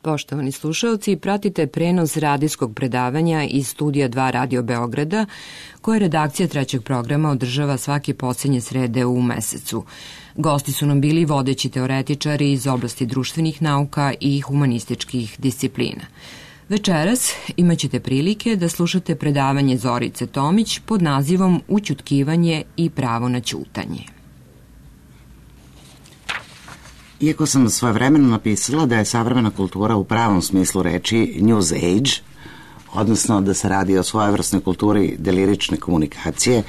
Poštovani slušalci, pratite prenos radijskog predavanja iz studija 2 Radio Beograda, koje redakcija trećeg programa održava svake poslednje srede u mesecu. Gosti su nam bili vodeći teoretičari iz oblasti društvenih nauka i humanističkih disciplina. Večeras imaćete prilike da slušate predavanje Zorice Tomić pod nazivom Ućutkivanje i pravo na ćutanje. Iako sam svojevremeno napisala da je savremena kultura u pravom smislu reči news age, odnosno da se radi o svojevrsnoj kulturi delirične komunikacije,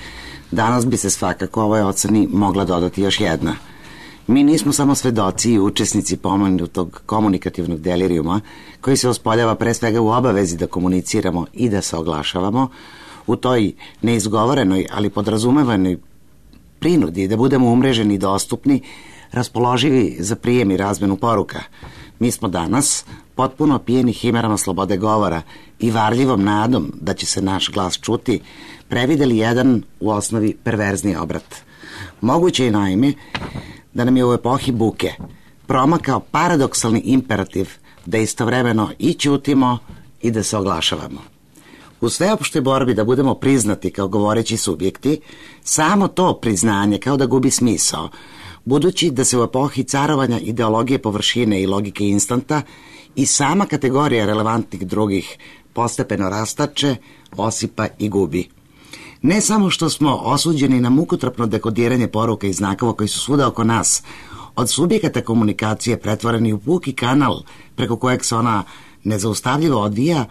danas bi se svakako ovoj oceni mogla dodati još jedna. Mi nismo samo svedoci i učesnici pomenutog komunikativnog delirijuma, koji se ospoljava pre svega u obavezi da komuniciramo i da se oglašavamo, u toj neizgovorenoj, ali podrazumevanoj prinudi da budemo umreženi i dostupni, raspoloživi za prijem i razmenu poruka. Mi smo danas potpuno pijeni himerama slobode govora i varljivom nadom da će se naš glas čuti, prevideli jedan u osnovi perverzni obrat. Moguće je naime da nam je u epohi buke promakao paradoksalni imperativ da istovremeno i ćutimo i da se oglašavamo. U sveopštoj borbi da budemo priznati kao govoreći subjekti, samo to priznanje kao da gubi smisao, budući da se u epohi carovanja ideologije površine i logike instanta i sama kategorija relevantnih drugih postepeno rastače, osipa i gubi. Ne samo što smo osuđeni na mukotrpno dekodiranje poruka i znakova koji su svuda oko nas, od subjekata komunikacije pretvoreni u puki kanal preko kojeg se ona nezaustavljivo odvija,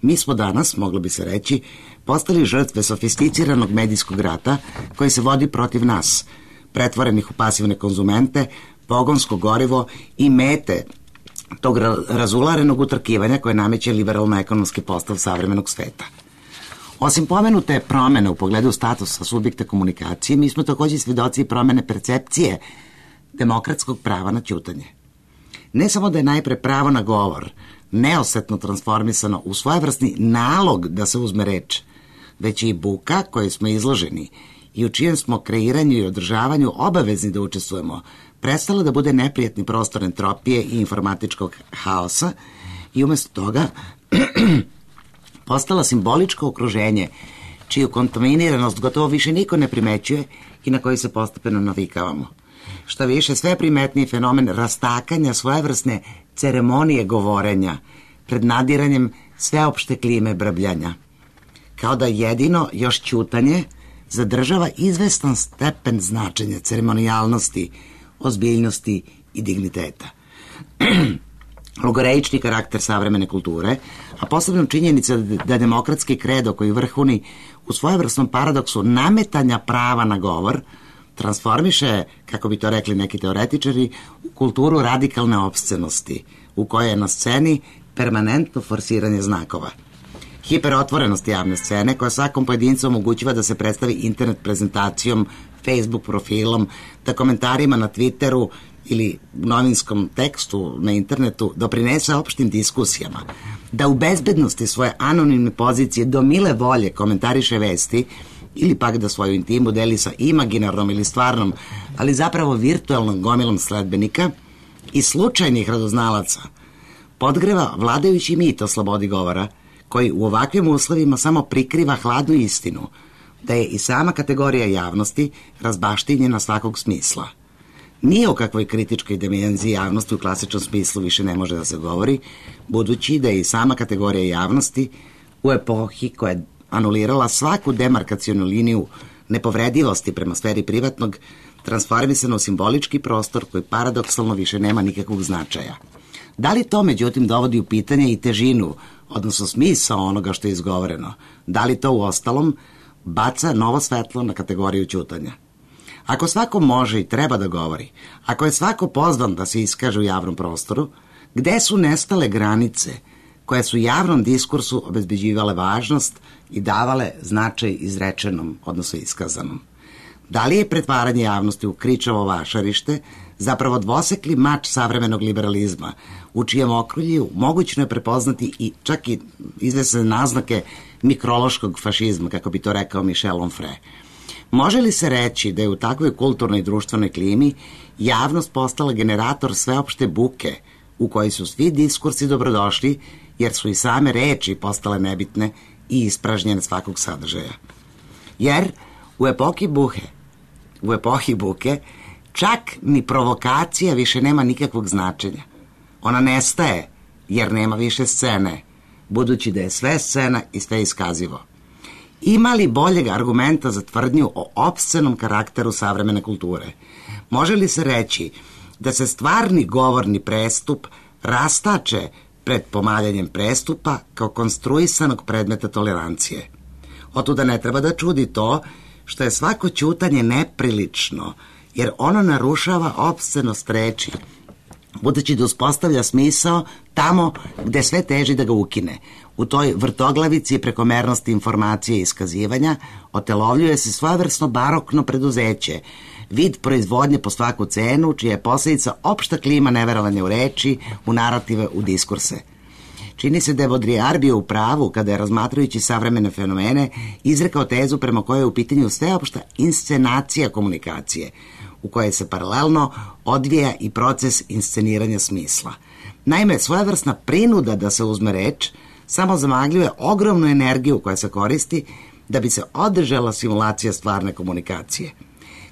mi smo danas, moglo bi se reći, postali žrtve sofisticiranog medijskog rata koji se vodi protiv nas, pretvorenih u pasivne konzumente, pogonsko gorivo i mete tog razularenog utrkivanja koje nameće liberalno-ekonomski postav savremenog sveta. Osim pomenute promene u pogledu statusa subjekta komunikacije, mi smo takođe svedoci promene percepcije demokratskog prava na ćutanje. Ne samo da je najpre pravo na govor neosetno transformisano u svojevrsni nalog da se uzme reč, već i buka kojoj smo izloženi i u čijem smo kreiranju i održavanju obavezni da učestvujemo, prestala da bude neprijatni prostor entropije i informatičkog haosa i umesto toga postala simboličko okruženje čiju kontaminiranost gotovo više niko ne primećuje i na koji se postepeno navikavamo. Šta više, sve primetniji fenomen rastakanja svojevrsne ceremonije govorenja pred nadiranjem sveopšte klime brbljanja. Kao da jedino još ćutanje zadržava izvestan stepen značenja ceremonijalnosti, ozbiljnosti i digniteta. Logoreični karakter savremene kulture, a posebno činjenica da demokratski kredo koji vrhuni u svojevrsnom paradoksu nametanja prava na govor transformiše, kako bi to rekli neki teoretičari, u kulturu radikalne opscenosti, u kojoj je na sceni permanentno forsiranje znakova. Hiperotvorenost javne scene koja svakom pojedincu omogućiva da se predstavi internet prezentacijom, Facebook profilom, da komentarima na Twitteru ili novinskom tekstu na internetu doprinese opštim diskusijama, da u bezbednosti svoje anonimne pozicije do mile volje komentariše vesti ili pak da svoju intimu deli sa imaginarnom ili stvarnom, ali zapravo virtualnom gomilom sledbenika i slučajnih radoznalaca, podgreva vladajući mit o slobodi govora, koji u ovakvim uslovima samo prikriva hladnu istinu, da je i sama kategorija javnosti razbaštinjena svakog smisla. Nije o kakvoj kritičkoj dimenziji javnosti u klasičnom smislu više ne može da se govori, budući da je i sama kategorija javnosti u epohi koja je anulirala svaku demarkacionu liniju nepovredivosti prema sferi privatnog, transformisano u simbolički prostor koji paradoksalno više nema nikakvog značaja. Da li to, međutim, dovodi u pitanje i težinu, odnosno smisao onoga što je izgovoreno? Da li to u ostalom baca novo svetlo na kategoriju ćutanja? Ako svako može i treba da govori, ako je svako pozvan da se iskaže u javnom prostoru, gde su nestale granice koje su javnom diskursu obezbeđivale važnost i davale značaj izrečenom, odnosno iskazanom? Da li je pretvaranje javnosti u kričavo vašarište zapravo dvosekli mač savremenog liberalizma, u čijem okrulju mogućno je prepoznati i čak i izvesne naznake mikrološkog fašizma, kako bi to rekao Michel Onfray? Može li se reći da je u takvoj kulturnoj i društvenoj klimi javnost postala generator sveopšte buke, u kojoj su svi diskursi dobrodošli, jer su i same reči postale nebitne i ispražnjene svakog sadržaja. Jer u epohi buke čak ni provokacija više nema nikakvog značenja. Ona nestaje jer nema više scene, budući da je sve scena i sve iskazivo. Ima li boljeg argumenta za tvrdnju o opscenom karakteru savremene kulture? Može li se reći da se stvarni govorni prestup rastače pred pomaljanjem prestupa kao konstruisanog predmeta tolerancije? Otuda ne treba da čudi to što je svako ćutanje neprilično, jer ono narušava opscenost reči, budući da uspostavlja smisao tamo gde sve teži da ga ukine. U toj vrtoglavici prekomernosti informacije i iskazivanja otelovljuje se svojevrsno barokno preduzeće, vid proizvodnje po svaku cenu, čija je posledica opšta klima neverovanja u reči, u narative, u diskurse. Čini se da je Baudrillard bio u pravu kada je, razmatrajući savremene fenomene, izrekao tezu prema kojoj je u pitanju sveopšta inscenacija komunikacije, u kojoj se paralelno odvija i proces insceniranja smisla. Naime, svojevrsna prinuda da se uzme reč samo zamagljuje ogromnu energiju koja se koristi da bi se održala simulacija stvarne komunikacije.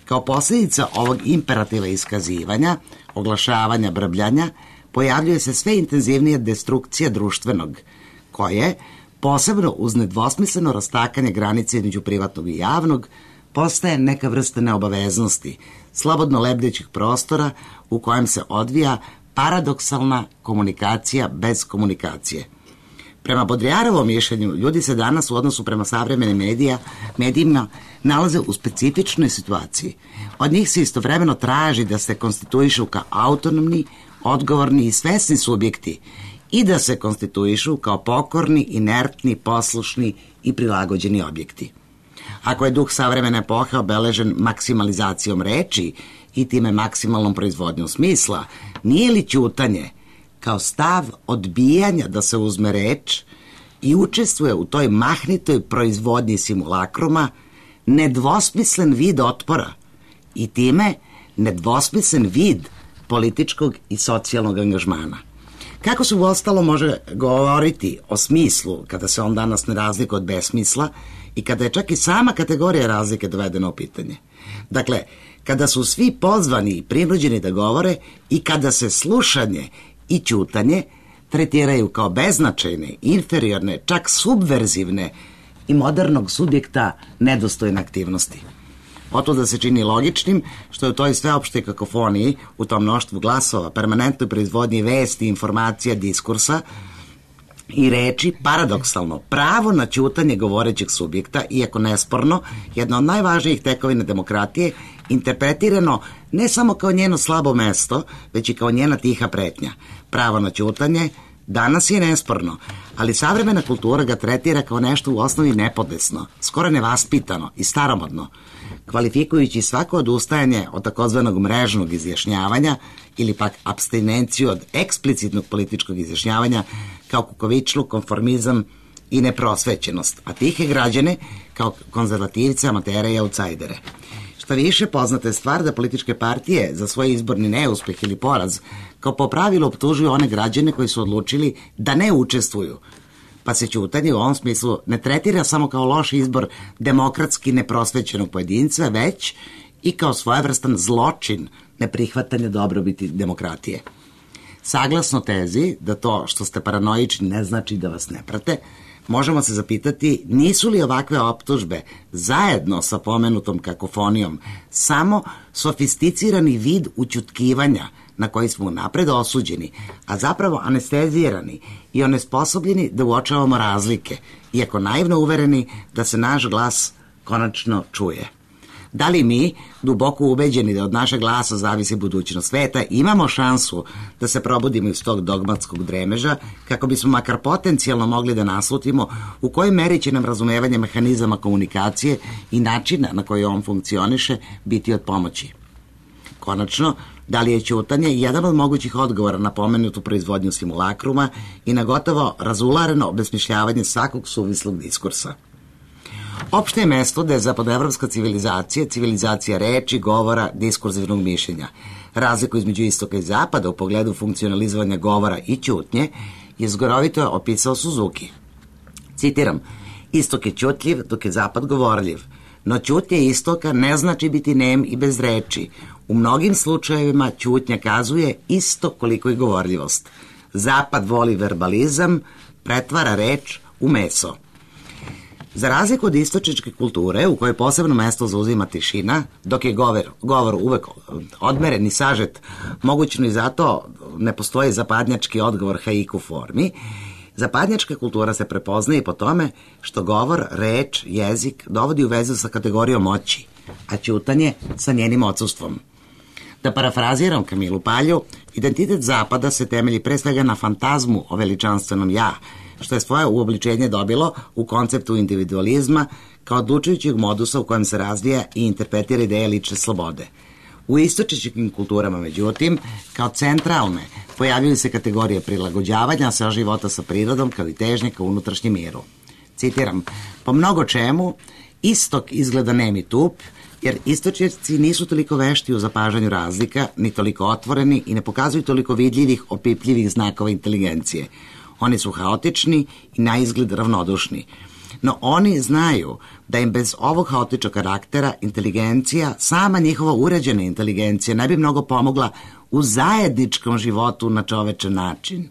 Kao posljedica ovog imperativa iskazivanja, oglašavanja, brbljanja, pojavljuje se sve intenzivnija destrukcija društvenog, koje, posebno uz nedvosmisleno rastakanje granice između privatnog i javnog, postaje neka vrsta neobaveznosti, slobodno lebdećih prostora u kojem se odvija paradoksalna komunikacija bez komunikacije. Prema Baudrillardovom mišljenju, ljudi se danas u odnosu prema savremenim medijima nalaze u specifičnoj situaciji. Od njih se istovremeno traži da se konstituišu kao autonomni, odgovorni i svesni subjekti i da se konstituišu kao pokorni, inertni, poslušni i prilagođeni objekti. Ako je duh savremene epohe obeležen maksimalizacijom reči i time maksimalnom proizvodnjom smisla, nije li ćutanje kao stav odbijanja da se uzme reč i učestvuje u toj mahnitoj proizvodnji simulakruma nedvosmislen vid otpora i time nedvosmislen vid političkog i socijalnog angažmana? Kako se uostalo može govoriti o smislu kada se on danas ne razlikuje od besmisla i kada je čak i sama kategorija razlike dovedena u pitanje? Dakle, kada su svi pozvani i prinuđeni da govore i kada se slušanje i ćutanje tretiraju kao beznačajne, inferiorne, čak subverzivne i modernog subjekta nedostojne aktivnosti. Otuda se čini logičnim što je u toj sveopštoj kakofoniji, u tom mnoštvu glasova, permanentnoj proizvodnji vesti, informacija, diskursa i reči, paradoksalno, pravo na ćutanje govorećeg subjekta, iako nesporno, jedna od najvažnijih tekovina demokratije, interpretirano ne samo kao njeno slabo mesto, već i kao njena tiha pretnja. Pravo na ćutanje danas je nesporno, ali savremena kultura ga tretira kao nešto u osnovi nepodesno, skoro nevaspitano i staromodno, kvalifikujući svako odustajanje od takozvanog mrežnog izjašnjavanja ili pak apstinenciju od eksplicitnog političkog izjašnjavanja kao kukavičluk, konformizam i neprosvećenost, a tihe građane kao konzervativce, amatere i autsajdere. Šta više, poznata je stvar da političke partije za svoj izborni neuspeh ili poraz kao po pravilu optužuju one građane koji su odlučili da ne učestvuju, pa se ćutanje u ovom smislu ne tretira samo kao loš izbor demokratski neprosvećenog pojedinca, već i kao svojevrstan zločin neprihvatanja dobrobiti demokratije. Saglasno tezi da to što ste paranoični ne znači da vas ne prate, možemo se zapitati nisu li ovakve optužbe zajedno sa pomenutom kakofonijom samo sofisticirani vid ućutkivanja na koji smo napred osuđeni, a zapravo anestezirani i onesposobljeni da uočavamo razlike, iako naivno uvereni da se naš glas konačno čuje. Da li mi, duboko ubeđeni da od našeg glasa zavisi budućnost sveta, imamo šansu da se probudimo iz tog dogmatskog dremeža kako bismo makar potencijalno mogli da naslutimo u kojoj meri će nam razumevanje mehanizama komunikacije i načina na koji on funkcioniše biti od pomoći? Konačno, da li je ćutanje jedan od mogućih odgovora na pomenutu proizvodnju simulakruma i na gotovo razulareno obesmišljavanje svakog suvislog diskursa? Opšte je mesto da je zapadnoevropska civilizacija, civilizacija reči, govora, diskurzivnog mišljenja. Razliku između istoka i zapada u pogledu funkcionalizovanja govora i ćutnje je zgorovito opisao Suzuki. Citiram, istok je ćutljiv, dok je zapad govorljiv. No ćutnja istoka ne znači biti nem i bez reči. U mnogim slučajevima ćutnja kazuje isto koliko i govorljivost. Zapad voli verbalizam, pretvara reč u meso. Za razliku od istočničke kulture, u kojoj posebno mesto zauzima tišina, dok je govor uvek odmeren i sažet, mogućno i zato ne postoji zapadnjački odgovor haiku formi, zapadnjačka kultura se prepoznaje i po tome što govor, reč, jezik dovodi u vezu sa kategorijom moći, a ćutanje sa njenim odsustvom. Da parafraziram Kamilu Palju, identitet zapada se temelji pre svega na fantazmu o veličanstvenom ja, što je svoje uobličenje dobilo u konceptu individualizma kao odlučujućeg modusa u kojem se razvija i interpretira ideja lične slobode. U istočničkim kulturama, međutim, kao centralne, pojavljaju se kategorije prilagođavanja sa života sa prirodom kao i težnje ka unutrašnjem miru. Citiram, po mnogo čemu, istok izgleda nem i tup, jer istočnjaci nisu toliko vešti u zapažanju razlika, ni toliko otvoreni i ne pokazuju toliko vidljivih, opipljivih znakova inteligencije. Oni su haotični i na izgled ravnodušni. No oni znaju da im bez ovog haotičnog karaktera inteligencija, sama njihova uređena inteligencija, ne bi mnogo pomogla u zajedničkom životu na čovečan način.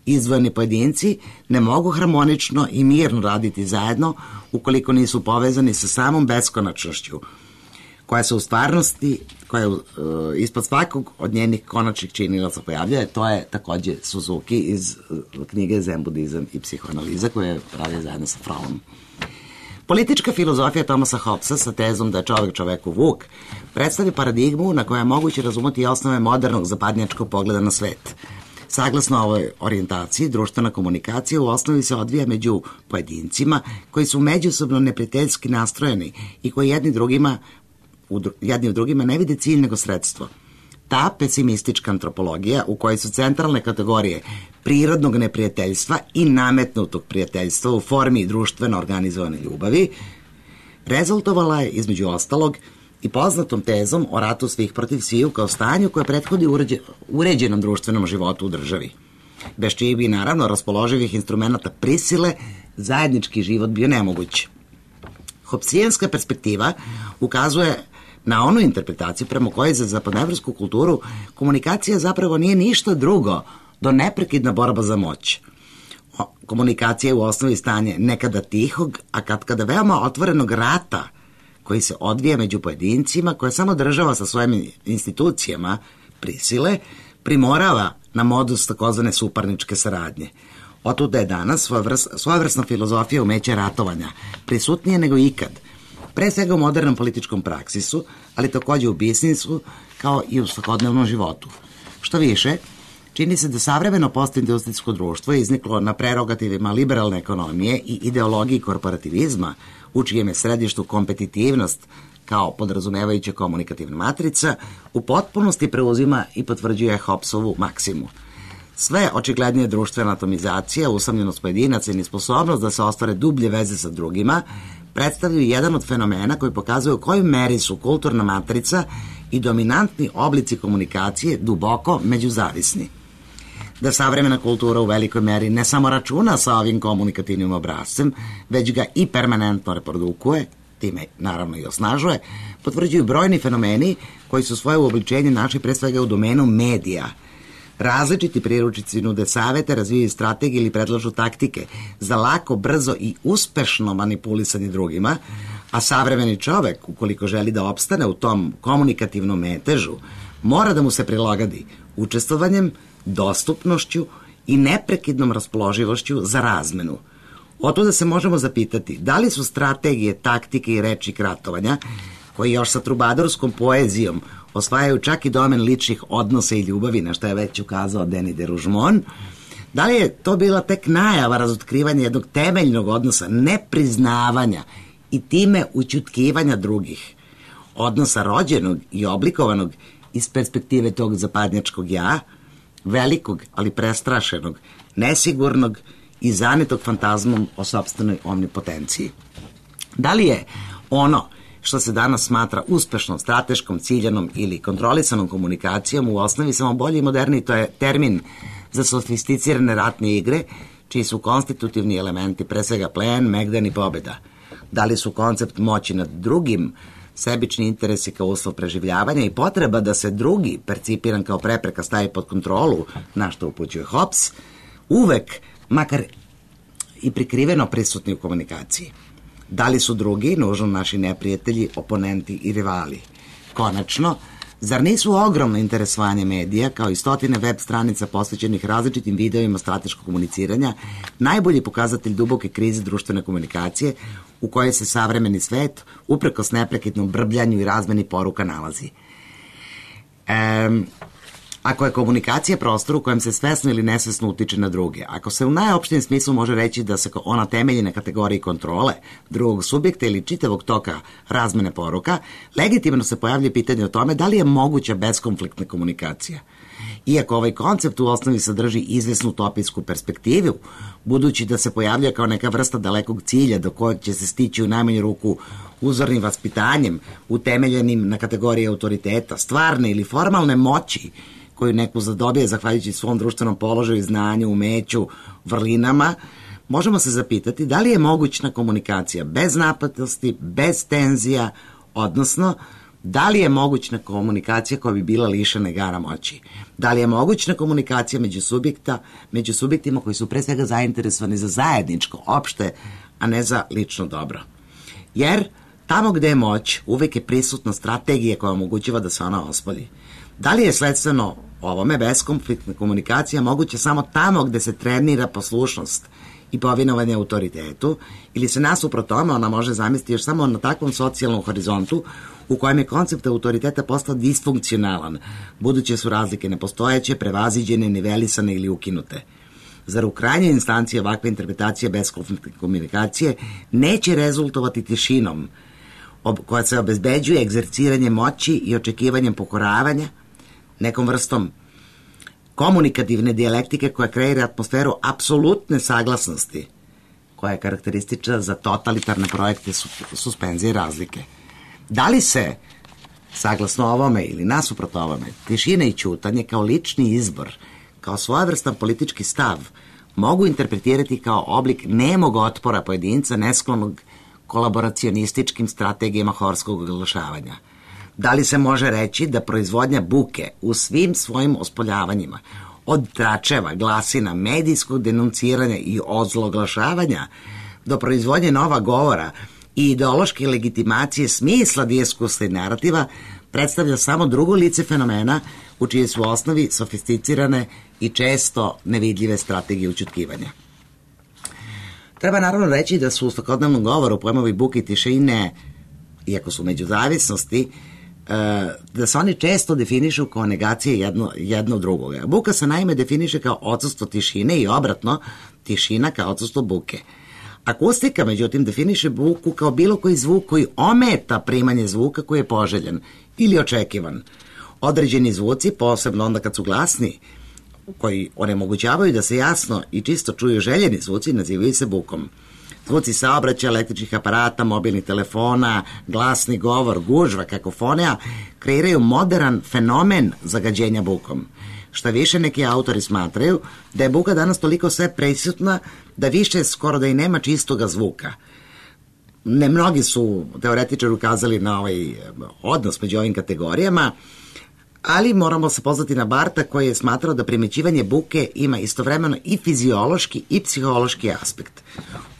Izdvojeni pojedinci ne mogu harmonično i mirno raditi zajedno ukoliko nisu povezani sa samom beskonačnošću, koja se u stvarnosti, koja je ispod svakog od njenih konačnih činilaca pojavljuje, to je takođe Suzuki iz knjige Zen budizam i psihoanaliza, koju je pravio zajedno sa Frommom. Politička filozofija Thomasa Hobbesa sa tezom da je čovek čoveku vuk predstavlja paradigmu na kojoj je moguće razumeti osnove modernog zapadnjačkog pogleda na svet. Saglasno ovoj orijentaciji, društvena komunikacija u osnovi se odvija među pojedincima koji su međusobno neprijateljski nastrojeni i koji jedni u drugima ne vide cilj nego sredstvo. Ta pesimistička antropologija u kojoj su centralne kategorije prirodnog neprijateljstva i nametnutog prijateljstva u formi društveno organizovane ljubavi rezultovala je između ostalog i poznatom tezom o ratu svih protiv sviju kao stanju koje prethodi uređenom društvenom životu u državi. Bez čijih bi naravno raspoloživih instrumenta prisile zajednički život bio nemoguć. Hobbesijanska perspektiva ukazuje na onu interpretaciju prema kojoj za zapadnoevropsku kulturu komunikacija zapravo nije ništa drugo do neprekidna borba za moć. Komunikacija je u osnovi stanje nekada tihog, a katkada veoma otvorenog rata koji se odvija među pojedincima, koje samo država sa svojim institucijama prisile primorava na modus takozvane suparničke saradnje. Otuda je danas svojevrsna filozofija umeća ratovanja prisutnije nego ikad, pre svega u modernom političkom praksisu, ali takođe u biznisu kao i u svakodnevnom životu. Što više, čini se da savremeno postindustrijsko društvo je izniklo na prerogativima liberalne ekonomije i ideologiji korporativizma, u čijem je središtu kompetitivnost kao podrazumevajuća komunikativna matrica, u potpunosti preuzima i potvrđuje Hobbesovu maksimu. Sve očiglednije društvena atomizacija, usamljenost pojedinaca i nesposobnost da se ostvare dublje veze sa drugima predstavljaju jedan od fenomena koji pokazuju u kojoj meri su kulturna matrica i dominantni oblici komunikacije duboko međuzavisni. Da savremena kultura u velikoj meri ne samo računa sa ovim komunikativnim obrazcem, već ga i permanentno reprodukuje, time naravno i osnažuje, potvrđuju brojni fenomeni koji su svoje uobličenje našli pre svega u domenu medija. Različiti priručnici nude savete, razvijaju strategije ili predlažu taktike za lako, brzo i uspešno manipulisanje drugima, a savremeni čovek, ukoliko želi da opstane u tom komunikativnom metežu, mora da mu se prilagodi učestvovanjem, dostupnošću i neprekidnom raspoloživošću za razmenu. Otuda se možemo zapitati da li su strategije, taktike i rečnik ratovanja, koji još sa trubadorskom poezijom osvajaju čak i domen ličnih odnosa i ljubavi, na što je već ukazao Denis de Rougemont, da li je to bila tek najava razotkrivanja jednog temeljnog odnosa nepriznavanja i time ućutkivanja drugih, odnosa rođenog i oblikovanog iz perspektive tog zapadnjačkog ja, velikog, ali prestrašenog, nesigurnog i zanetog fantazmom o sopstvenoj omnipotenciji. Da li je ono što se danas smatra uspešnom, strateškom, ciljanom ili kontrolisanom komunikacijom u osnovi samo bolji i moderni, to je termin za sofisticirane ratne igre, čiji su konstitutivni elementi pre svega plen, megdan i pobeda. Da li su koncept moći nad drugim, sebični interesi kao uslov preživljavanja i potreba da se drugi, percipiran kao prepreka, stavi pod kontrolu, na što upućuje Hobbes, uvek, makar i prikriveno prisutni u komunikaciji. Da li su drugi nužno naši neprijatelji, oponenti i rivali? Konačno, zar nisu ogromno interesovanje medija, kao i stotine web stranica posvećenih različitim videovima strateškog komuniciranja, najbolji pokazatelj duboke krize društvene komunikacije u kojoj se savremeni svet, uprkos neprekidnom brbljanju i razmeni poruka, nalazi? Ako je komunikacija prostor u kojem se svesno ili nesvesno utiče na druge, ako se u najopštijem smislu može reći da se ona temelji na kategoriji kontrole drugog subjekta ili čitavog toka razmene poruka, legitimno se pojavlja pitanje o tome da li je moguća beskonfliktna komunikacija. Iako ovaj koncept u osnovi sadrži izvesnu utopijsku perspektivu, budući da se pojavlja kao neka vrsta dalekog cilja do kojeg će se stići u najmanju ruku uzornim vaspitanjem, utemeljenim na kategoriji autoriteta, stvarne ili formalne moći, koju neko zadobije zahvaljujući svom društvenom položaju, znanju, umeću, vrlinama, možemo se zapitati da li je mogućna komunikacija bez napetosti, bez tenzija, odnosno da li je mogućna komunikacija koja bi bila lišena igara moći? Da li je mogućna komunikacija među subjektima koji su pre svega zainteresovani za zajedničko, opšte, a ne za lično dobro? Jer tamo gde je moć, uvek je prisutna strategija koja omogućava da se ona ospolji. Da li je sledstveno ovome beskonfliktna komunikacija moguća samo tamo gde se trenira poslušnost i povinovanje autoritetu, ili se nasuprot tome ona može zamisliti još samo na takvom socijalnom horizontu u kojem je koncept autoriteta postao disfunkcionalan, buduće su razlike nepostojeće, prevaziđene, nivelisane ili ukinute? Zar u krajnjoj instanciji ovakva interpretacija beskonfliktne komunikacije neće rezultovati tišinom koja se obezbeđuje egzerciranjem moći i očekivanjem pokoravanja, nekom vrstom komunikativne dijalektike koja kreira atmosferu apsolutne saglasnosti, koja je karakteristična za totalitarne projekte suspenzije razlike? Da li se, saglasno ovome ili nasuprot ovome, tišina i ćutanje kao lični izbor, kao svojevrstan politički stav, mogu interpretirati kao oblik nemog otpora pojedinca nesklonog kolaboracionističkim strategijama horskog oglašavanja? Da li se može reći da proizvodnja buke u svim svojim ospoljavanjima, od tračeva, glasina, medijskog denunciranja i ozloglašavanja do proizvodnje nova govora i ideološke legitimacije smisla diskursa i narativa, predstavlja samo drugo lice fenomena u čije su osnovi sofisticirane i često nevidljive strategije ućutkivanja? Treba naravno reći da su u svakodnevnom govoru pojmovi buke i tišine, iako su međuzavisnosti, da se oni često definišu kao negacije jedno drugoga. Buka se naime definiše kao odsustvo tišine i obratno, tišina kao odsustvo buke. Akustika, međutim, definiše buku kao bilo koji zvuk koji ometa primanje zvuka koji je poželjen ili očekivan. Određeni zvuci, posebno onda kad su glasni, koji onemogućavaju da se jasno i čisto čuju željeni zvuci, nazivaju se bukom. Zvuci saobraćaja, električnih aparata, mobilnih telefona, glasni govor, gužva, kakofonija kreiraju modern fenomen zagađenja bukom. Šta više, neki autori smatraju da je buka danas toliko sve prisutna da više skoro da i nema čistoga zvuka. Ne mnogi su teoretičari ukazali na ovaj odnos među ovim kategorijama, ali moramo se pozvati na Barta koji je smatrao da primećivanje buke ima istovremeno i fiziološki i psihološki aspekt.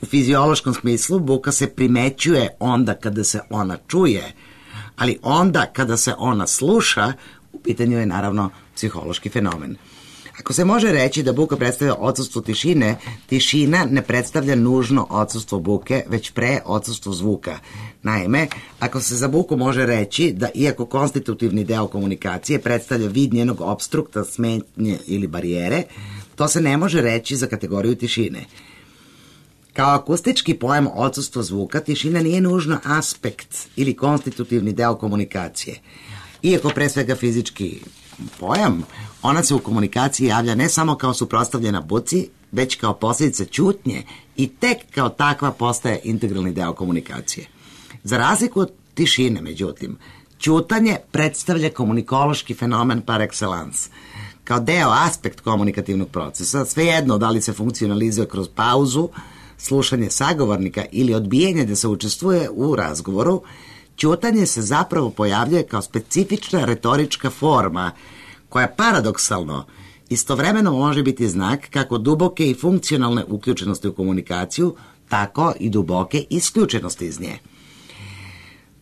U fiziološkom smislu buka se primećuje onda kada se ona čuje, ali onda kada se ona sluša, u pitanju je naravno psihološki fenomen. Ako se može reći da buka predstavlja odsustvo tišine, tišina ne predstavlja nužno odsustvo buke, već pre odsustvo zvuka. Naime, ako se za buku može reći da iako konstitutivni deo komunikacije predstavlja vid njenog opstrukta, smetnje ili barijere, to se ne može reći za kategoriju tišine. Kao akustički pojam odsustvo zvuka, tišina nije nužno aspekt ili konstitutivni deo komunikacije. Iako pre svega fizički pojam, ona se u komunikaciji javlja ne samo kao suprotstavljena buci, već kao posljedica ćutnje i tek kao takva postaje integralni deo komunikacije. Za razliku od tišine, međutim, ćutanje predstavlja komunikološki fenomen par excellence. Kao deo, aspekt komunikativnog procesa, svejedno da li se funkcionalizuje kroz pauzu, slušanje sagovornika ili odbijanje da se učestvuje u razgovoru, ćutanje se zapravo pojavljuje kao specifična retorička forma koja paradoksalno istovremeno može biti znak kako duboke i funkcionalne uključenosti u komunikaciju, tako i duboke isključenosti iz nje.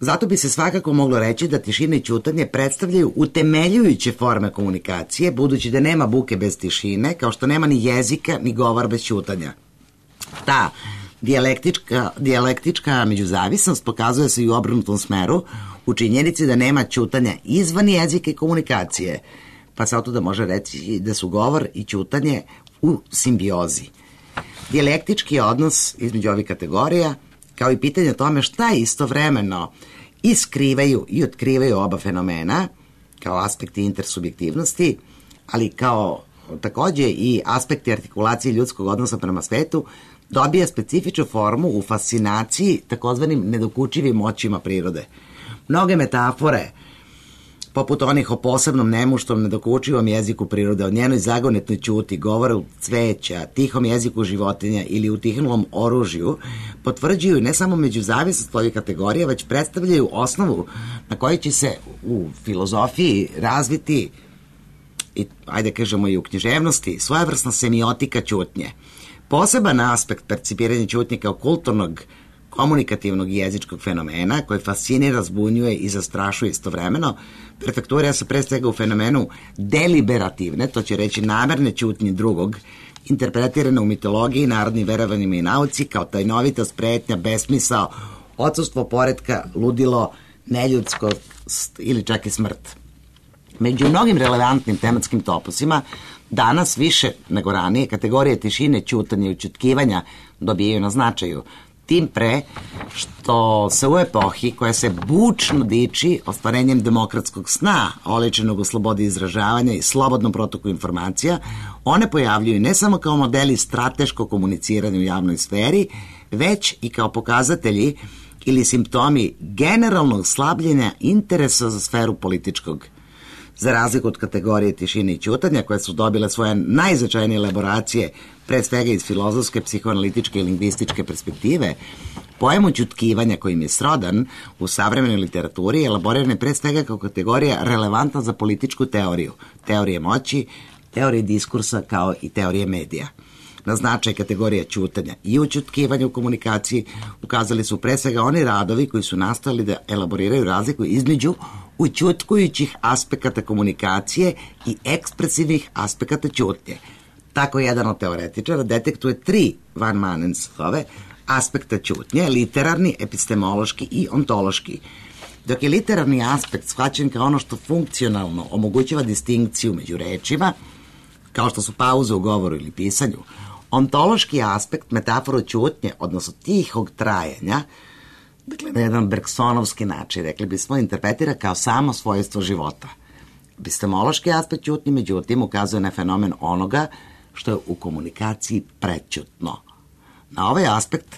Zato bi se svakako moglo reći da tišina i ćutanje predstavljaju utemeljujuće forme komunikacije, budući da nema buke bez tišine, kao što nema ni jezika ni govor bez ćutanja. Ta dijalektička međuzavisnost pokazuje se i u obrnutom smeru, u činjenici da nema ćutanja izvan jezika i komunikacije, pa se otuda može reći da su govor i ćutanje u simbiozi. Dijalektički odnos između ovih kategorija, kao i pitanje o tome šta istovremeno i skrivaju i otkrivaju oba fenomena, kao aspekti intersubjektivnosti, ali kao takođe i aspekti artikulacije ljudskog odnosa prema svetu, dobija specifičnu formu u fascinaciji takozvanim nedokučivim moćima prirode. Mnoge metafore, poput onih o posebnom nemuštom nedokučivom jeziku prirode, o njenoj zagonetnoj ćuti, govoru cveća, tihom jeziku životinja ili utihnulom oružju, potvrđuju ne samo međuzavisnost ovih kategorija, već predstavljaju osnovu na kojoj će se u filozofiji razviti i, ajde kažemo, i u književnosti, svojevrsna semiotika ćutnje. Poseban aspekt percipiranja ćutnje kao kulturnog, komunikativnog i jezičkog fenomena koji fascinira, zbunjuje i zastrašuje istovremeno, perfekturira se pre svega u fenomenu deliberativne, to će reći namerne ćutnje drugog, interpretirane u mitologiji, narodnim verovanjima i nauci kao tajnovitost, pretnja, besmisao, odsustvo poretka, ludilo, neljudskost ili čak i smrt. Među mnogim relevantnim tematskim topusima danas više nego ranije kategorije tišine, ćutanja i ućutkivanja dobijaju na značaju. Tim pre što se u epohi koja se bučno diči ostvarenjem demokratskog sna, oličenog u slobodi izražavanja i slobodnom protoku informacija, one pojavljuju ne samo kao modeli strateškog komuniciranja u javnoj sferi, već i kao pokazatelji ili simptomi generalnog slabljenja interesa za sferu političkog. Za razliku od kategorije tišine i ćutanja, koje su dobile svoje najznačajnije elaboracije, pre svega iz filozofske, psihoanalitičke i lingvističke perspektive, pojam ućutkivanja kojim je srodan u savremenoj literaturi elaboriran je pre svega kao kategorija relevantna za političku teoriju, teorije moći, teorije diskursa kao i teorije medija. Na značaj kategorija ćutanja i ućutkivanja u komunikaciji ukazali su pre svega oni radovi koji su nastali da elaboriraju razliku između ućutkujućih aspekata komunikacije i ekspresivnih aspekata ćutnje. Tako jedan od teoretičara detektuje 3 Van Manensove aspekta ćutnje, literarni, epistemološki i ontološki. Dok je literarni aspekt shvaćen kao ono što funkcionalno omogućava distinkciju među rečima, kao što su pauze u govoru ili pisanju, ontološki aspekt metaforu ćutnje, odnosno tihog trajanja, dakle na jedan bergsonovski način, rekli bismo, interpretira kao samo svojstvo života. Epistemološki aspekt ćutnje, međutim, ukazuje na fenomen onoga što je u komunikaciji prećutno. Na ovaj aspekt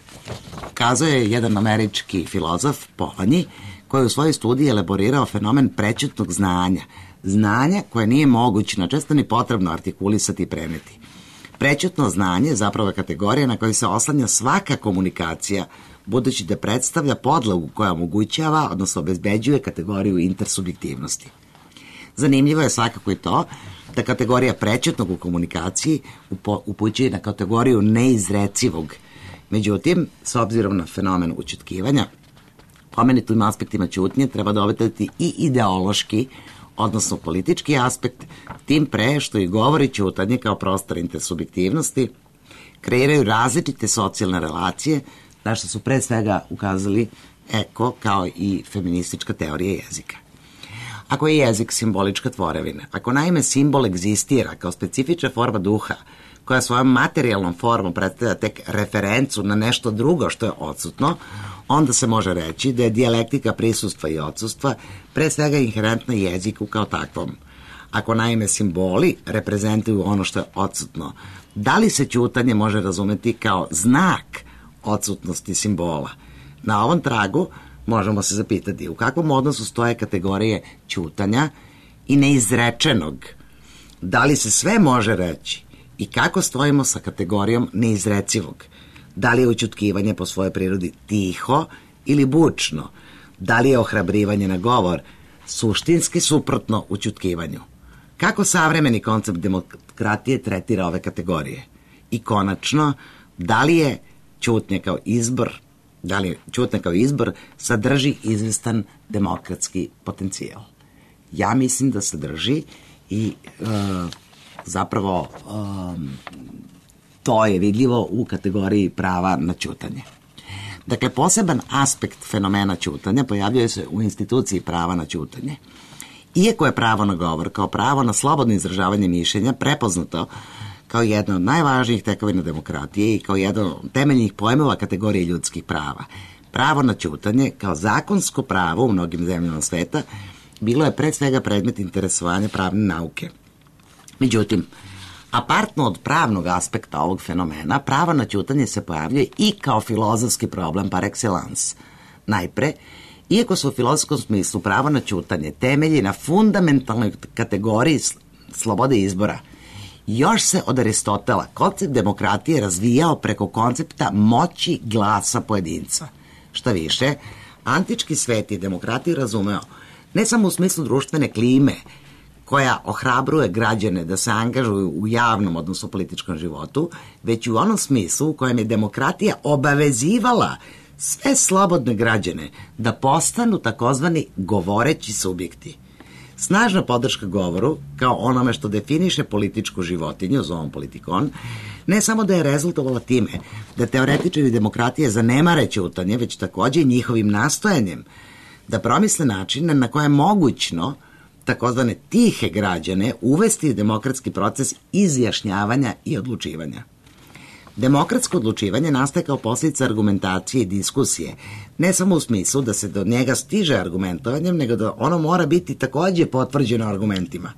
ukazuje jedan američki filozof Polanyi, koji je u svojoj studiji elaborirao fenomen prećutnog znanja. Znanja koje nije moguće, često ni potrebno artikulisati i preneti. Prećutno znanje zapravo je kategorija na kojoj se oslanja svaka komunikacija, budući da predstavlja podlogu koja omogućava, odnosno obezbeđuje kategoriju intersubjektivnosti. Zanimljivo je svakako i to da kategorija prećutnog u komunikaciji upućuje na kategoriju neizrecivog. Međutim, s obzirom na fenomen ućutkivanja, pomenutim aspektima ćutnje treba dovedati i ideološki, odnosno politički aspekt, tim pre što i govori ćutanje kao prostor intersubjektivnosti, kreiraju različite socijalne relacije, na što su pre svega ukazali Eko kao i feministička teorija jezika. Ako je jezik simbolička tvorevina, ako naime simbol egzistira kao specifična forma duha, koja svojom materijalnom formom predstavlja tek referencu na nešto drugo što je odsutno, onda se može reći da je dijalektika prisustva i odsustva pre svega inherentna jeziku kao takvom. Ako naime simboli reprezentuju ono što je odsutno, da li se ćutanje može razumeti kao znak odsutnosti simbola? Na ovom tragu možemo se zapitati u kakvom odnosu stoje kategorije ćutanja i neizrečenog. Da li se sve može reći i kako stojimo sa kategorijom neizrecivog? Da li je ućutkivanje po svojoj prirodi tiho ili bučno? Da li je ohrabrivanje na govor suštinski suprotno ućutkivanju? Kako savremeni koncept demokratije tretira ove kategorije? I konačno, da li je ćutnja kao izbor sadrži izvestan demokratski potencijal? Ja mislim da sadrži i zapravo to je vidljivo u kategoriji prava na ćutanje. Dakle, poseban aspekt fenomena ćutanja pojavljuje se u instituciji prava na ćutanje. Iako je pravo na govor kao pravo na slobodno izražavanje mišljenja prepoznato kao jedna od najvažnijih tekovina demokratije i kao jedan od temeljnih pojmova kategorije ljudskih prava, pravo na ćutanje kao zakonsko pravo u mnogim zemljama sveta bilo je pre svega predmet interesovanja pravne nauke. Međutim, apartno od pravnog aspekta ovog fenomena, pravo na ćutanje se pojavljuje i kao filozofski problem par excellence. Najpre, iako se u filozofskom smislu pravo na ćutanje temelji na fundamentalnoj kategoriji slobode izbora, još se od Aristotela koncept demokratije razvijao preko koncepta moći glasa pojedinca. Šta više, antički svet je demokratiju razumeo ne samo u smislu društvene klime, koja ohrabruje građane da se angažuju u javnom, odnosno političkom životu, već u onom smislu u kojem je demokratija obavezivala sve slobodne građane da postanu takozvani govoreći subjekti. Snažna podrška govoru, kao onome što definiše političku životinju, zovom politikon, ne samo da je rezultovala time da teoretičari demokratije zanemare ćutanje, već takođe njihovim nastojanjem da promisle načine na koje je mogućno takozvane tihe građane uvesti demokratski proces izjašnjavanja i odlučivanja. Demokratsko odlučivanje nastaje kao posljedica argumentacije i diskusije, ne samo u smislu da se do njega stiže argumentovanjem, nego da ono mora biti takođe potvrđeno argumentima.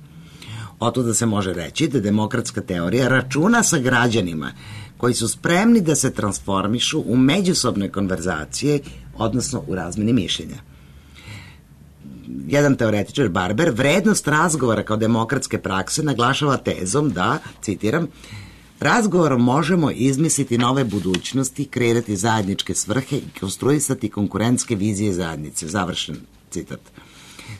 Oto da se može reći da demokratska teorija računa sa građanima koji su spremni da se transformišu u međusobne konverzacije, odnosno u razmeni mišljenja. Jedan teoretičar, Barber, vrednost razgovora kao demokratske prakse naglašava tezom da, citiram, razgovorom možemo izmisliti nove budućnosti, kreirati zajedničke svrhe i konstruisati konkurentske vizije zajednice. Završen citat.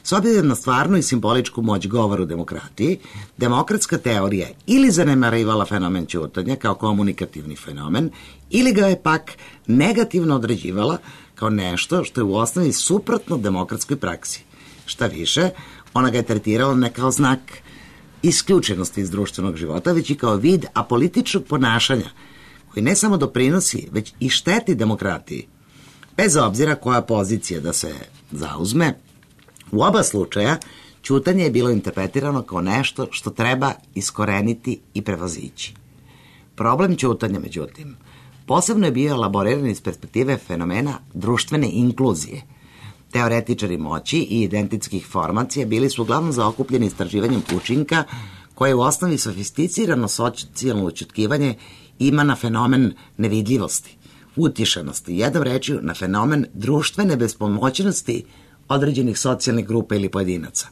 S obzirom na stvarnu i simboličku moć govora u demokratiji, demokratska teorija ili zanemarivala fenomen ćutanja kao komunikativni fenomen, ili ga je pak negativno određivala kao nešto što je u osnovi suprotno demokratskoj praksi. Šta više, ona ga je tretirala ne kao znak isključenosti iz društvenog života, već i kao vid apolitičnog ponašanja, koji ne samo doprinosi, već i šteti demokratiji. Bez obzira koja pozicija da se zauzme, u oba slučaja ćutanje je bilo interpretirano kao nešto što treba iskoreniti i prevazići. Problem ćutanja, međutim, posebno je bio elaboriran iz perspektive fenomena društvene inkluzije. Teoretičari moći i identitskih formacija bili su uglavnom zaokupljeni istraživanjem učinka koje u osnovi sofisticirano socijalno ućutkivanje ima na fenomen nevidljivosti, utišanosti, jednom rečju na fenomen društvene bespomoćnosti određenih socijalnih grupa ili pojedinaca.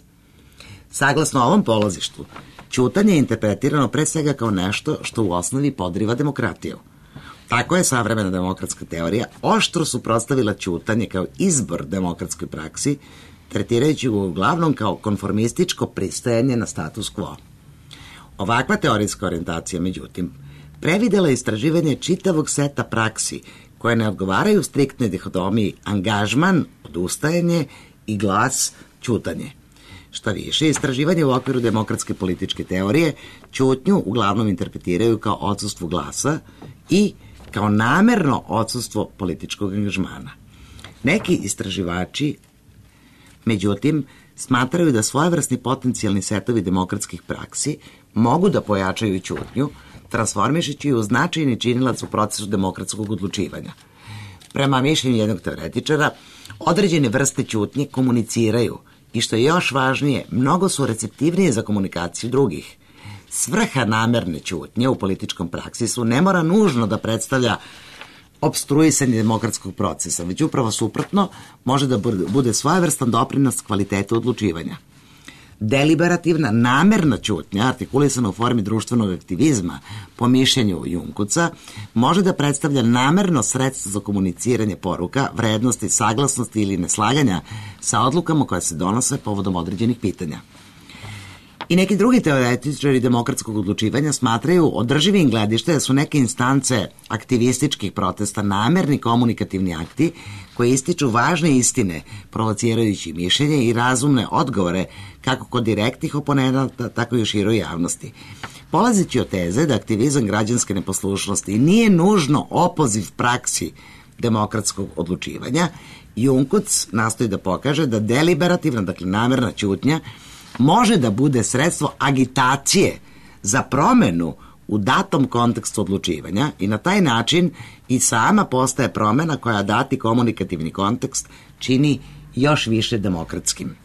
Saglasno ovom polazištu, ćutanje je interpretirano pre svega kao nešto što u osnovi podriva demokratiju. Tako je savremena demokratska teorija oštro suprotstavila ćutanje kao izbor demokratskoj praksi, tretirajući ga uglavnom kao konformističko pristajanje na status quo. Ovakva teorijska orijentacija, međutim, previdela je istraživanje čitavog seta praksi koje ne odgovaraju striktnoj dihotomiji angažman, odustajanje i glas, ćutanje. Šta više, istraživanje u okviru demokratske političke teorije ćutnju uglavnom interpretiraju kao odsustvo glasa i kao namerno odsustvo političkog angažmana. Neki istraživači, međutim, smatraju da svojevrsni potencijalni setovi demokratskih praksi mogu da pojačaju ćutnju, transformišući ju u značajni činilac u procesu demokratskog odlučivanja. Prema mišljenju jednog teoretičara, određene vrste ćutnje komuniciraju i što je još važnije, mnogo su receptivnije za komunikaciju drugih. Svrha namerne ćutnje u političkom praksisu ne mora nužno da predstavlja opstruisanje demokratskog procesa, već upravo suprotno može da bude svojevrstan doprinos kvalitetu odlučivanja. Deliberativna, namerna ćutnja, artikulisana u formi društvenog aktivizma, po mišljenju Junkuca, može da predstavlja namerno sredstvo za komuniciranje poruka, vrednosti, saglasnosti ili neslaganja sa odlukama koje se donose povodom određenih pitanja. I neki drugi teoretičari demokratskog odlučivanja smatraju održivim gledište da su neke instance aktivističkih protesta namerni komunikativni akti koji ističu važne istine, provocirajući mišljenje i razumne odgovore kako kod direktnih oponenata, tako i u široj javnosti. Polazeći od teze da aktivizam građanske neposlušnosti nije nužno opoziv praksi demokratskog odlučivanja, Junkuc nastoji da pokaže da deliberativna, dakle namerna ćutnja, može da bude sredstvo agitacije za promenu u datom kontekstu odlučivanja i na taj način i sama postaje promena koja dati komunikativni kontekst čini još više demokratskim.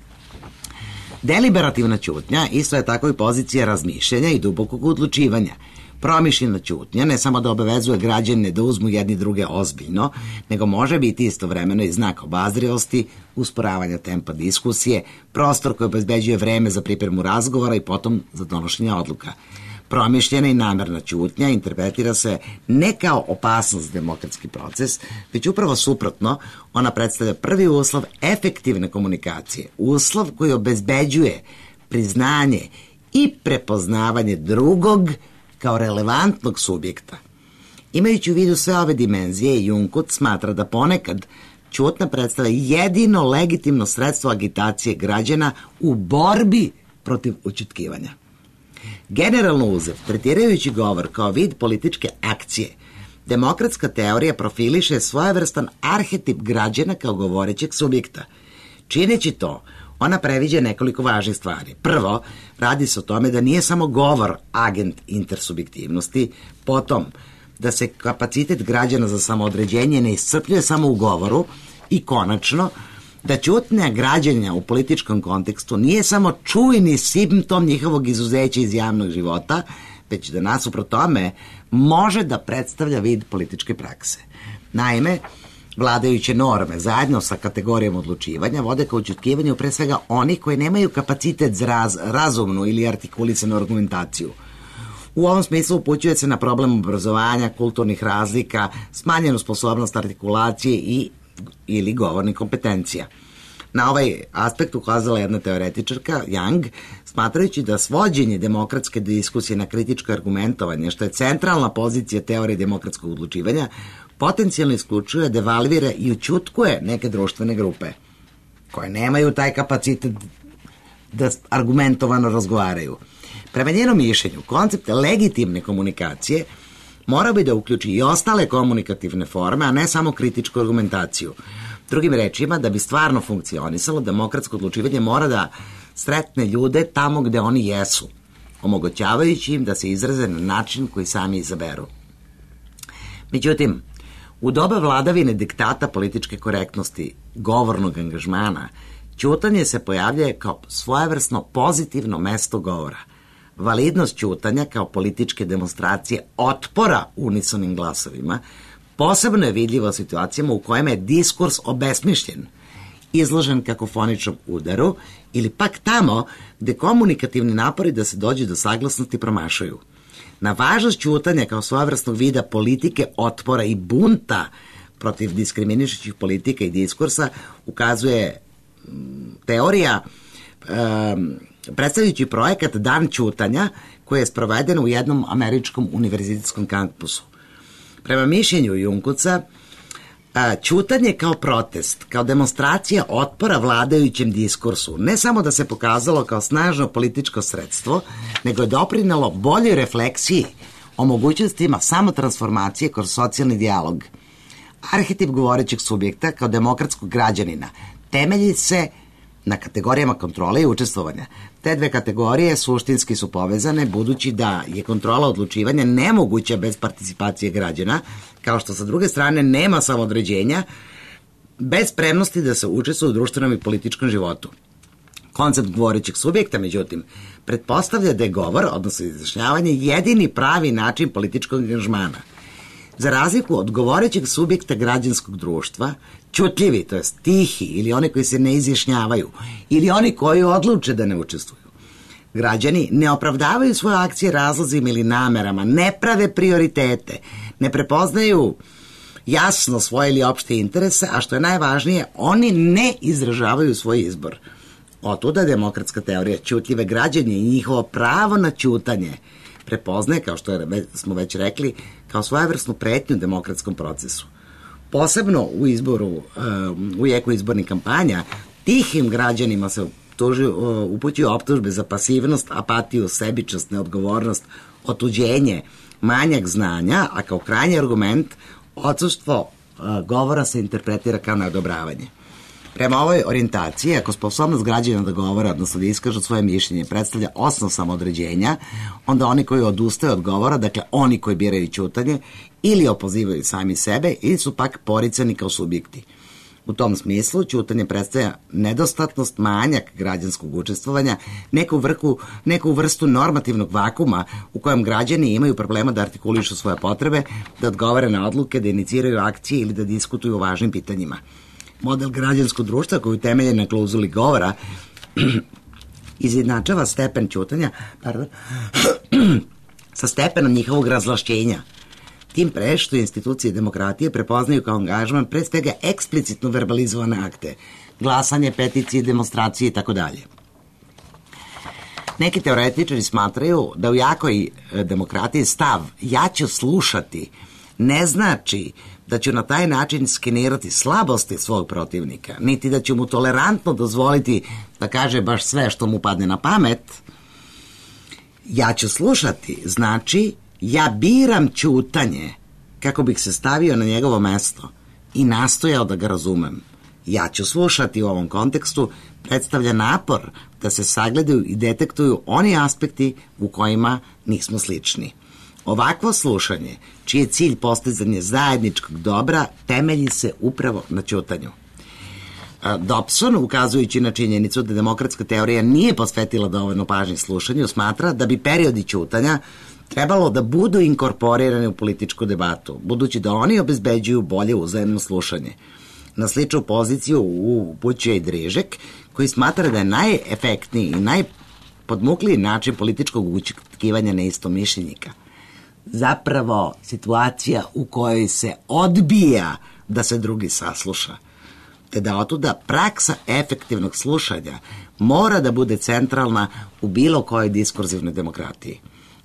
Deliberativna ćutnja isto je tako i pozicija razmišljanja i dubokog odlučivanja. Promišljena ćutnja ne samo da obavezuje građane da uzmu jedni druge ozbiljno, nego može biti istovremeno i znak obazrivosti, usporavanja tempa diskusije, prostor koji obezbeđuje vreme za pripremu razgovora i potom za donošenje odluka. Promišljena i namerna ćutnja interpretira se ne kao opasnost za demokratski proces, već upravo suprotno, ona predstavlja prvi uslov efektivne komunikacije, uslov koji obezbeđuje priznanje i prepoznavanje drugog kao relevantnog subjekta. Imajući u vidu sve ove dimenzije, Junkuc smatra da ponekad ćutnja predstavlja jedino legitimno sredstvo agitacije građana u borbi protiv ućutkivanja. Generalno uzev, tretirajući govor kao vid političke akcije, demokratska teorija profiliše svojevrstan arhetip građana kao govorećeg subjekta. Čineći to, ona previđa nekoliko važnih stvari. Prvo, radi se o tome da nije samo govor agent intersubjektivnosti, potom da se kapacitet građana za samoodređenje ne iscrpljuje samo u govoru i konačno, da ćutnja građana u političkom kontekstu nije samo čujni simptom njihovog izuzeća iz javnog života, već da nasuprot tome može da predstavlja vid političke prakse. Naime, vladajuće norme zajedno sa kategorijom odlučivanja vode ka ućutkivanju pre svega onih koji nemaju kapacitet za razumnu ili artikulisanu argumentaciju. U ovom smislu upućuje se na problem obrazovanja, kulturnih razlika, smanjenu sposobnost artikulacije ili govornih kompetencija. Na ovaj aspekt ukazala jedna teoretičarka, Young, smatrajući da svođenje demokratske diskusije na kritičko argumentovanje, što je centralna pozicija teorije demokratskog odlučivanja, potencijalno isključuje, devalvira i ućutkuje neke društvene grupe koje nemaju taj kapacitet da argumentovano razgovaraju. Prema njenom mišljenju, koncept legitimne komunikacije mora bi da uključi i ostale komunikativne forme, a ne samo kritičku argumentaciju. Drugim rečima, da bi stvarno funkcionisalo, demokratsko odlučivanje mora da sretne ljude tamo gde oni jesu, omogućavajući im da se izraze na način koji sami izaberu. Međutim, u doba vladavine diktata političke korektnosti, govornog angažmana, ćutanje se pojavljuje kao svojevrsno pozitivno mesto govora. Validnost ćutanja kao političke demonstracije otpora unisonim glasovima posebno je vidljiva u situacijama u kojima je diskurs obesmišljen, izložen kakofoničnom udaru ili pak tamo gde komunikativni napori da se dođe do saglasnosti promašaju. Na važnost ćutanja kao svojevrsnog vida politike otpora i bunta protiv diskriminišućih politika i diskursa ukazuje teorija predstavljajući projekat Dan ćutanja koji je sproveden u jednom američkom univerzitetskom kampusu. Prema mišljenju Junkuca, ćutanje kao protest, kao demonstracija otpora vladajućem diskursu, ne samo da se pokazalo kao snažno političko sredstvo, nego je doprinelo boljoj refleksiji o mogućnostima samotransformacije kroz socijalni dijalog. Arhetip govorećeg subjekta kao demokratskog građanina temelji se na kategorijama kontrole i učestvovanja. Te dve kategorije suštinski su povezane, budući da je kontrola odlučivanja nemoguća bez participacije građana, kao što sa druge strane nema samoodređenja bez spremnosti da se učestvuje u društvenom i političkom životu. Koncept govorećeg subjekta, međutim, pretpostavlja da je govor, odnosno izjašnjavanje, jedini pravi način političkog angažmana. Za razliku od govorećeg subjekta građanskog društva, ćutljivi, to jest tihi, ili oni koji se ne izjašnjavaju, ili oni koji odluče da ne učestvuju. Građani ne opravdavaju svoje akcije razlozima ili namerama, ne prave prioritete, ne prepoznaju jasno svoje ili opšte interese, a što je najvažnije, oni ne izražavaju svoj izbor. Otuda demokratska teorija ćutljive građanje i njihovo pravo na ćutanje prepoznaje, kao što smo već rekli, kao svojevrsnu pretnju demokratskom procesu. Posebno u jeku izbornih kampanja, tihim građanima se upućuju optužbe za pasivnost, apatiju, sebičnost, neodgovornost, otuđenje, manjak znanja, a kao krajnji argument odsustvo govora se interpretira kao neodobravanje. Prema ovoj orijentaciji, ako sposobnost građana da govore, odnosno da iskažu svoje mišljenje, predstavlja osnov samoodređenja, onda oni koji odustaju od govora, dakle oni koji biraju ćutanje, ili opozivaju sami sebe, ili su pak poricani kao subjekti. U tom smislu, ćutanje predstavlja nedostatnost, manjak građanskog učestvovanja, neku vrstu normativnog vakuma u kojem građani imaju problema da artikulišu svoje potrebe, da odgovore na odluke, da iniciraju akcije ili da diskutuju o važnim pitanjima. Model građanskog društva koji temelje na klauzuli govora izjednačava stepen ćutanja sa stepenom njihovog razvlašćenja. Tim pre što institucije demokratije prepoznaju kao angažman pre svega eksplicitno verbalizovane akte, glasanje, peticije, demonstracije itd. Neki teoretičari smatraju da u jakoj demokratiji stav ja ću slušati ne znači da ću na taj način skenirati slabosti svog protivnika, niti da ću mu tolerantno dozvoliti da kaže baš sve što mu padne na pamet. Ja ću slušati znači ja biram ćutanje kako bih se stavio na njegovo mesto i nastojao da ga razumem. Ja ću slušati u ovom kontekstu predstavlja napor da se sagledaju i detektuju oni aspekti u kojima nismo slični. Ovakvo slušanje, čiji je cilj postizanje zajedničkog dobra, temelji se upravo na ćutanju. Dobson, ukazujući na činjenicu da demokratska teorija nije posvetila dovoljno pažnje slušanju, smatra da bi periodi ćutanja trebalo da budu inkorporirani u političku debatu, budući da oni obezbeđuju bolje uzajemno slušanje. Na sličnu poziciju upućuje i Drižek, koji smatra da je najefektniji i najpodmukliji način političkog ućutkivanja neistomišljenika zapravo situacija u kojoj se odbija da se drugi sasluša, te da otuda praksa efektivnog slušanja mora da bude centralna u bilo kojoj diskurzivnoj demokratiji.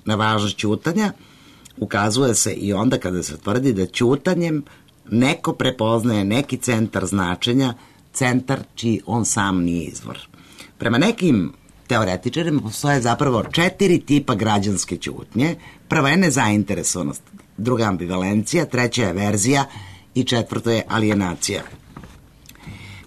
Na važnost ćutanja ukazuje se i onda kada se tvrdi da ćutanjem neko prepoznaje neki centar značenja, centar čiji on sam nije izvor. Prema nekim teoretičarima postoje zapravo 4 tipa građanske ćutnje. Prva je nezainteresovanost, druga ambivalencija, treća je averzija i četvrto je alienacija.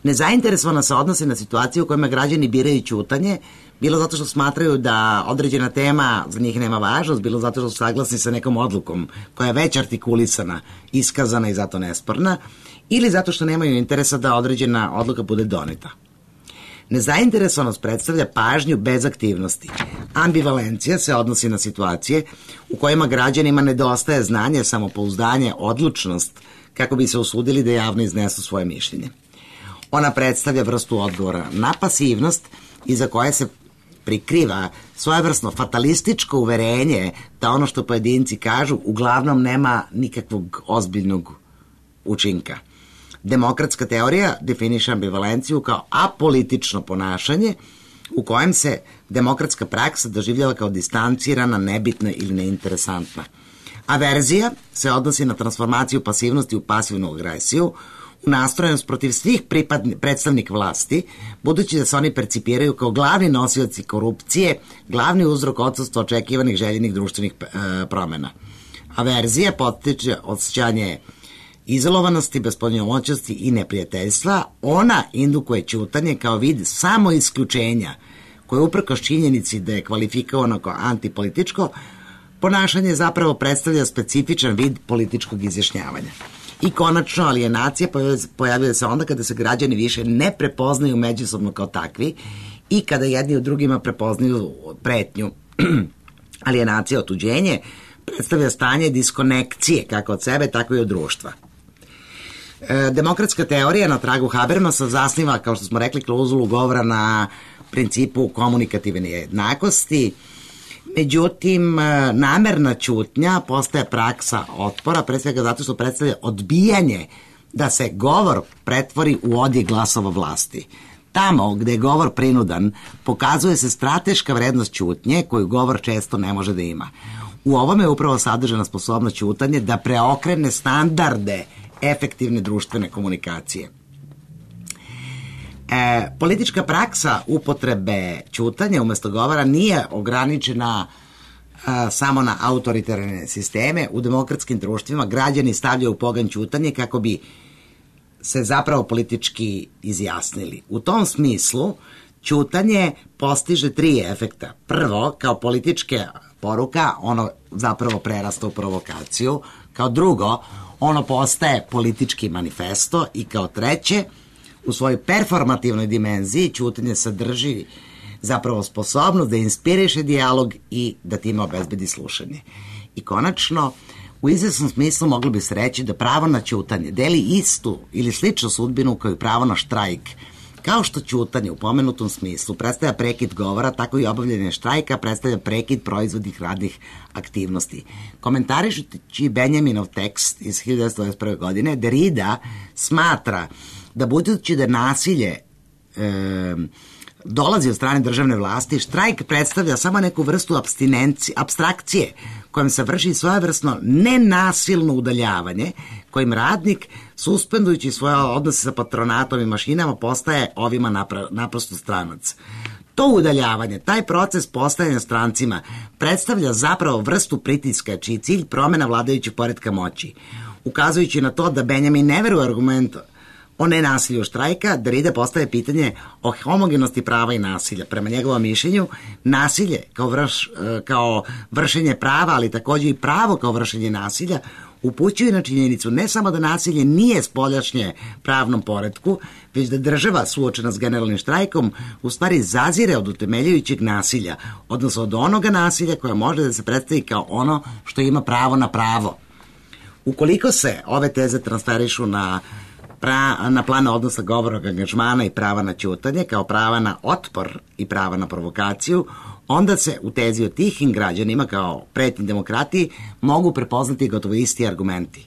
Nezainteresovana se odnose na situaciju u kojima građani biraju ćutanje, bilo zato što smatraju da određena tema za njih nema važnost, bilo zato što su saglasni sa nekom odlukom koja je već artikulisana, iskazana i zato nesporna, ili zato što nemaju interesa da određena odluka bude doneta. Nezainteresovanost predstavlja pažnju bez aktivnosti. Ambivalencija se odnosi na situacije u kojima građanima nedostaje znanje, samopouzdanje, odlučnost, kako bi se usudili da javno iznesu svoje mišljenje. Ona predstavlja vrstu odgovora na pasivnost iza koje se prikriva svojevrsno fatalističko uverenje da ono što pojedinci kažu uglavnom nema nikakvog ozbiljnog učinka. Demokratska teorija definiše ambivalenciju kao apolitično ponašanje u kojem se demokratska praksa doživljava kao distancirana, nebitna ili neinteresantna. Averzija se odnosi na transformaciju pasivnosti u pasivnu agresiju, u nastrojenost protiv svih predstavnika vlasti, budući da se oni percipiraju kao glavni nosioci korupcije, glavni uzrok odsustva očekivanih željenih društvenih promena. Averzija potiče osjećanje izolovanosti, bespomoćnosti i neprijateljstva. Ona indukuje ćutanje kao vid samoisključenja, koje uprkos činjenici da je kvalifikovano kao antipolitičko ponašanje zapravo predstavlja specifičan vid političkog izjašnjavanja. I konačno, alienacija pojavljuje se onda kada se građani više ne prepoznaju međusobno kao takvi i kada jedni u drugima prepoznaju pretnju, alienacija, otuđenje, predstavlja stanje diskonekcije kako od sebe, tako i od društva. Demokratska teorija na tragu Habermasa zasniva, kao što smo rekli, klauzulu govora na principu komunikativne jednakosti. Međutim, namerna ćutnja postaje praksa otpora, pre svega zato što predstavlja odbijanje da se govor pretvori u odjek glasova vlasti. Tamo gde je govor prinudan, pokazuje se strateška vrednost ćutnje koju govor često ne može da ima. U ovome je upravo sadržana sposobnost ćutanje da preokrene standarde efektivne društvene komunikacije. Politička praksa upotrebe ćutanja umesto govora nije ograničena samo na autoritarne sisteme. U demokratskim društvima građani stavljaju u pogon ćutanje kako bi se zapravo politički izjasnili. U tom smislu ćutanje postiže 3 efekta. Prvo, kao politička poruka, ono zapravo prerasta u provokaciju. Kao drugo, ono postaje politički manifesto i kao treće, u svojoj performativnoj dimenziji ćutanje sadrži zapravo sposobnost da inspiriše dijalog i da time obezbedi slušanje. I konačno, u izvesnom smislu moglo bi se reći da pravo na ćutanje deli istu ili sličnu sudbinu kao i pravo na štrajk. Kao što ćutanje u pomenutom smislu predstavlja prekid govora, tako i obavljanje štrajka predstavlja prekid proizvodnih radnih aktivnosti. Komentarišući Benjaminov tekst iz 1921. godine, Derrida smatra da budući da nasilje dolazi od strane državne vlasti, štrajk predstavlja samo neku vrstu apstrakcije kojom se vrši svojevrsno nenasilno udaljavanje, kojim radnik, suspendujući svoje odnose sa patronatom i mašinama, postaje ovima naprosto stranac. To udaljavanje, taj proces postajanja strancima, predstavlja zapravo vrstu pritiska, čiji cilj promena vladajućeg poretka moći. Ukazujući na to da Benjamin ne veruje argument o nenasilju štrajka, Derrida postaje pitanje o homogenosti prava i nasilja. Prema njegovom mišljenju, nasilje kao vršenje prava, ali takođe i pravo kao vršenje nasilja, upućuje na činjenicu ne samo da nasilje nije spoljašnje pravnom poretku, već da država suočena s generalnim štrajkom u stvari zazire od utemeljujućeg nasilja, odnosno od onoga nasilja koje može da se predstavi kao ono što ima pravo na pravo. Ukoliko se ove teze transferišu na plan odnosa govornog angažmana i prava na ćutanje, kao prava na otpor i prava na provokaciju, onda se u tezi o tihim građanima kao pretnji demokratiji mogu prepoznati gotovo isti argumenti.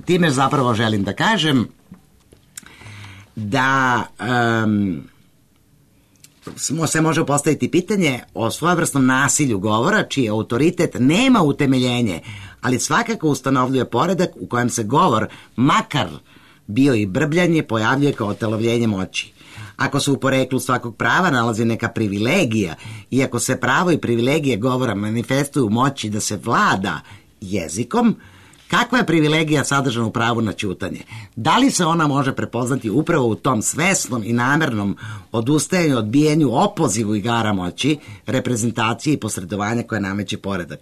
Time zapravo želim da kažem da se može postaviti pitanje o svojevrsnom nasilju govora, čiji autoritet nema utemeljenje, ali svakako ustanovljuje poredak u kojem se govor, makar bio i brbljanje, pojavljuje kao otelovljenje moći. Ako se u poreklu svakog prava nalazi neka privilegija i ako se pravo i privilegije govora manifestuju u moći da se vlada jezikom, kakva je privilegija sadržana u pravu na ćutanje? Da li se ona može prepoznati upravo u tom svesnom i namernom odustajanju, odbijanju, opozivu igara moći, reprezentacije i posredovanja koje nameće poredak?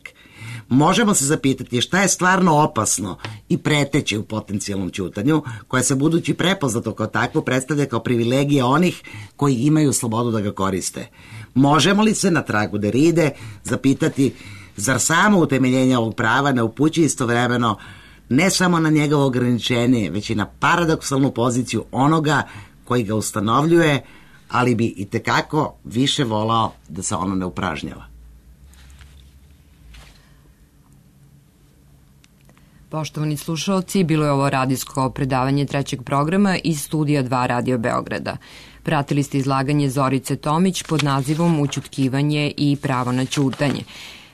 Možemo se zapitati šta je stvarno opasno i preteće u potencijalnom ćutanju, koje se budući prepoznato kao takvo predstavlja kao privilegija onih koji imaju slobodu da ga koriste. Možemo li se na tragu Derride zapitati zar samo utemeljenje ovog prava ne upućuje istovremeno ne samo na njegovo ograničenje, već i na paradoksalnu poziciju onoga koji ga ustanovljuje, ali bi i tekako više volao da se ono ne upražnjava. Poštovani slušalci, bilo je ovo radijsko predavanje trećeg programa iz studija 2 Radio Beograda. Pratili ste izlaganje Zorice Tomić pod nazivom Ućutkivanje i pravo na ćutanje.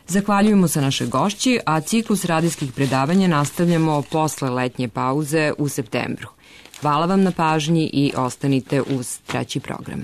Zahvaljujemo se našoj gošći, a ciklus radijskih predavanja nastavljamo posle letnje pauze u septembru. Hvala vam na pažnji i ostanite uz treći program.